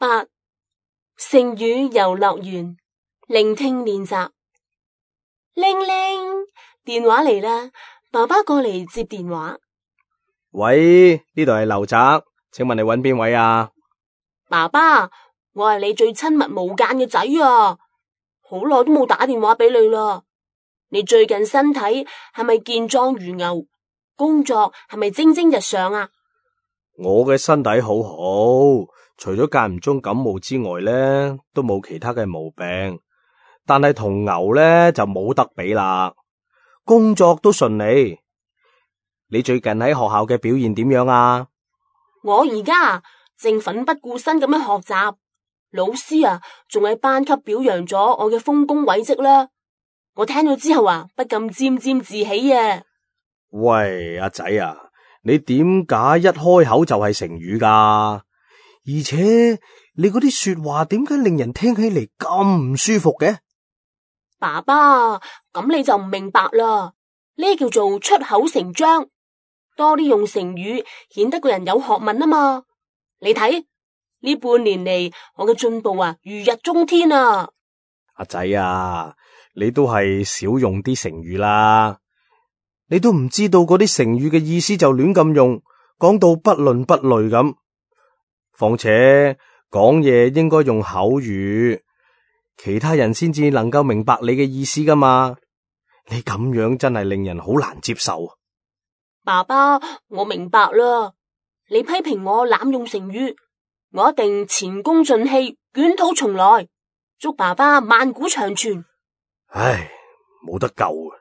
8. 成語遊樂園，聆聽練習。鈴鈴，電話嚟啦，爸爸過嚟接電話。喂，呢度係劉澤，請問你揾邊位啊？爸爸，我係你最親密無間嘅仔啊，好耐都冇打電話俾你啦。你最近身體係咪健壯如牛？工作係咪蒸蒸日上啊？我嘅身體好好，除咗間唔中感冒之外呢，都冇其他嘅毛病。但係同牛呢，就冇得比啦。工作都順利。你最近喺學校嘅表現點樣啊？我而家正奮不顧身咁樣學習，老師啊仲喺班級表揚咗我嘅豐功偉績啦。我聽到之後啊，不禁沾沾自喜啊！喂，阿仔啊，你點解一開口就係成語㗎？而且你嗰啲說話點解令人聽起嚟咁唔舒服嘅？爸爸，咁你就唔明白啦。呢叫做出口成章，多啲用成語，顯得個人有學問啊嘛。你睇呢半年嚟，我嘅進步啊，如日中天啊！阿仔啊，你都係少用啲成語啦。你都唔知道嗰啲成語嘅意思就亂咁用，講到不倫不類咁。況且講嘢應該用口語，其他人先至能夠明白你嘅意思噶嘛。你咁樣真係令人好難接受。爸爸，我明白啦。你批評我濫用成語，我一定前功盡棄，捲土重來。祝爸爸萬古長存。唉，冇得救啊！